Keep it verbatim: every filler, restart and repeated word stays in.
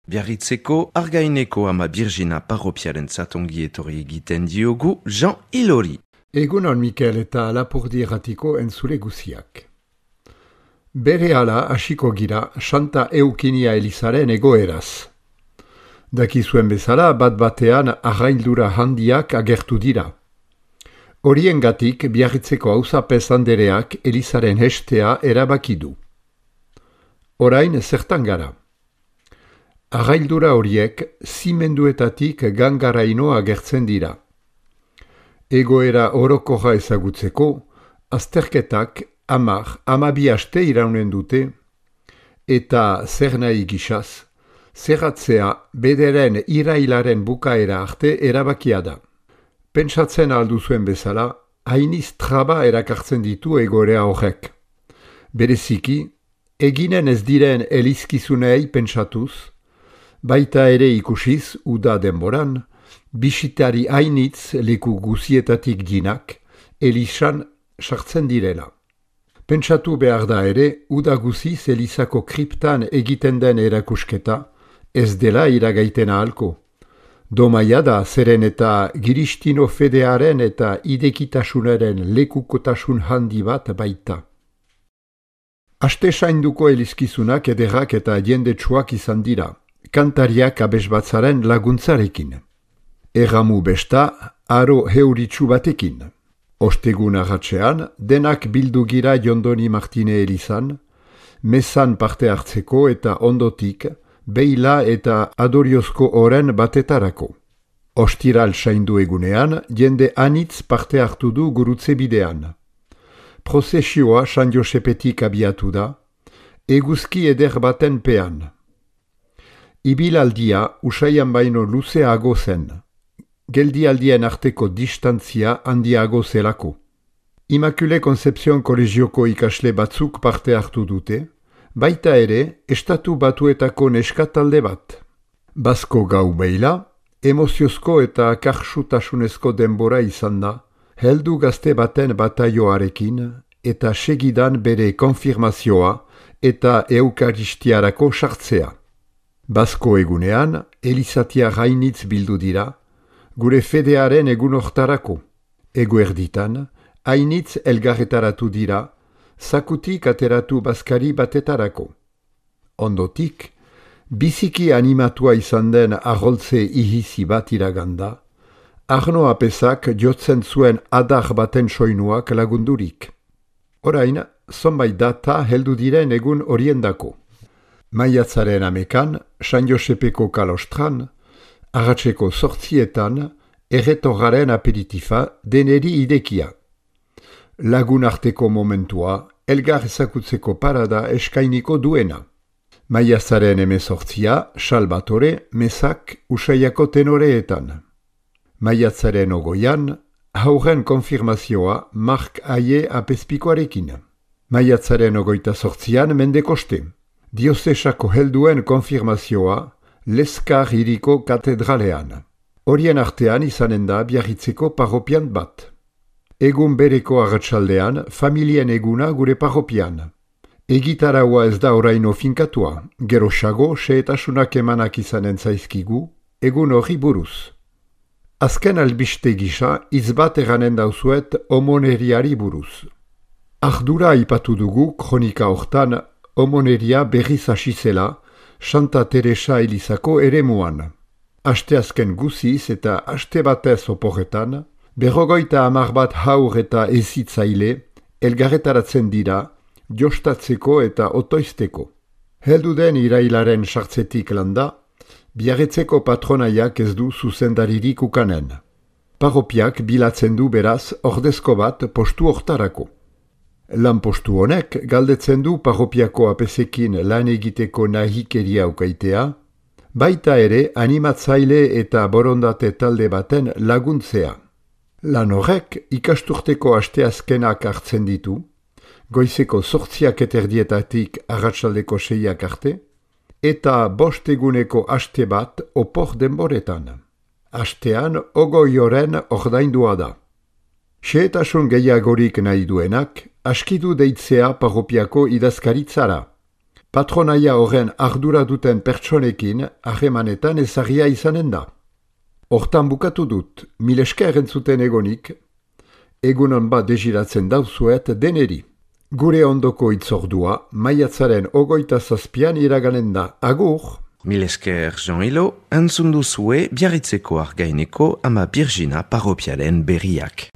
Biarritzeko Argaineko ama Birgina parropiaren zatongi etorri egiten diogu Jean Ilori. Egunon Mikel eta Lapurdi erratiko entzule guziak. Berehala hasiko gira Santa Eukinia Elizaren egoeraz. Dakizuen bezala bat batean arraildura handiak agertu dira. Horiengatik Biarritzeko auzapez andereak Elizaren hestea erabaki du. Orain zertan gara. Arraildura horiek zimenduetatik gangaraino agertzen dira. Egoera orokorra ezagutzeko, azterketak hamar, hamabi aste iraunen dute, eta zer nahi gisaz, zerratzea bederen irailaren bukaera arte erabakia da. Pentsatzen alduzuen bezala, hainiz traba erakartzen ditu egoera horrek. Bereziki, eginen ez diren elizkizunei pentsatuz, baita ere ikusiz uda denboran, bisitari hainitz leku guzietatik dinak, Elizan sartzen direla. Pentsatu behar da ere, uda guziz Elizako kriptan egiten den erakusketa, ez dela iragaiten ahalko. Domaia da zeren eta Giristino fedearen eta idekitasunaren lekukotasun handi bat baita. Aste sainduko elizkizunak ederrak eta jendetsuak izan dira, kantariak abesbatzaren laguntzarekin. Erramu besta, aro heuritsu batekin. Ostegun arratsean, denak bildu gira Jondoni Martine Elizan, mezan parte hartzeko eta ondotik, beila eta adoriozko oren batetarako. Ostiral saindu egunean, jende anitz parte hartu du gurutze bidean. Prozesioa San Josepetik abiatu da, eguzki eder baten pean. Ibilaldia usaian baino luzeago zen, geldialdien arteko distantzia handiago zelako. Immaculée Concepción kolegioko ikasle batzuk parte hartu dute, baita ere estatu batuetako neskatalde bat. Basko gau beila, emoziozko eta karxutasunezko denbora izan da, heldu gazte baten bataioarekin eta segidan bere konfirmazioa eta eukaristiarako sartzea. Basko egunean, Elizatia gainitz bildu dira, gure fedearen egun hortarako. Eguerditan, hainitz elgarretaratu dira, zakutik ateratu bazkari batetarako. Ondotik, biziki animatua izan den arroltze ihizi bat iraganda, Arno Apezak jotzen zuen adar baten soinuak lagundurik. Orain, zonbait data heldu diren egun horiendako. Maiatzaren amekan, San Josepeko kalostran, arratseko sortzietan, erretorraren aperitifa deneri idekia. Lagun arteko momentua, elgar ezakutzeko parada eskainiko duena. Maiatzaren emezortzia, Salvatore, Mesak, Usaiako tenoreetan. Maiatzaren ogoian, hauren konfirmazioa Mark Aie apezpikoarekin. Maiatzaren ogoita sortzian Mendekoste. Diozesako helduen konfirmazioa Leskar hiriko katedralean. Horien artean izanen da Biarritzeko parropian bat. Egun bereko arratsaldean familien eguna gure parropian. Egitaraua ez da oraino finkatua, geroxago xehetasunak emanak izanen zaizkigu, egun hori buruz. Azken albiste gisa izbat eranen dauzuet omoneriari buruz. Ardura aipatu dugu kronika hortan omoneria berriz hasi zela Santa Teresa Elizako eremuan. Asteazken guziz eta aste batez oporretan, berrogoita hamar bat haur eta ezitzaile elgarretaratzen dira jostatzeko eta otoizteko. Heldu den irailaren sartzetik landa, Biarritzeko patronaiak ez du zuzendaririk ukanen. Parropiak bilatzen du beraz ordezko bat postu hortarako. Lan postu honek galdetzen du parropiako apezekin lan egiteko nahikeria ukaitea, baita ere animatzaile eta borondate talde baten laguntzea. Lan horrek ikasturteko asteazkenak hartzen ditu, goizeko zortziak eterdietatik arratsaldeko seiak arte, eta bost eguneko aste bat opor denboretan. Astean ogoi oren ordaindua da. Xehetasun gehiagorik nahi duenak, askidu deitzea parropiako idazkaritzara. patronaia horren ardura duten pertsonekin harremanetan ezagia izanen da. Hortan bukatu dut, mil esker entzuten egonik, egunon bat desiratzen dauzuet deneri. Gure ondoko itzordua, maiatzaren ogoita zazpian iraganen da. Agur! Mil esker Jean-Ilo, entzun duzue Biarritzeko Argaineko ama Birjina parropialen berriak.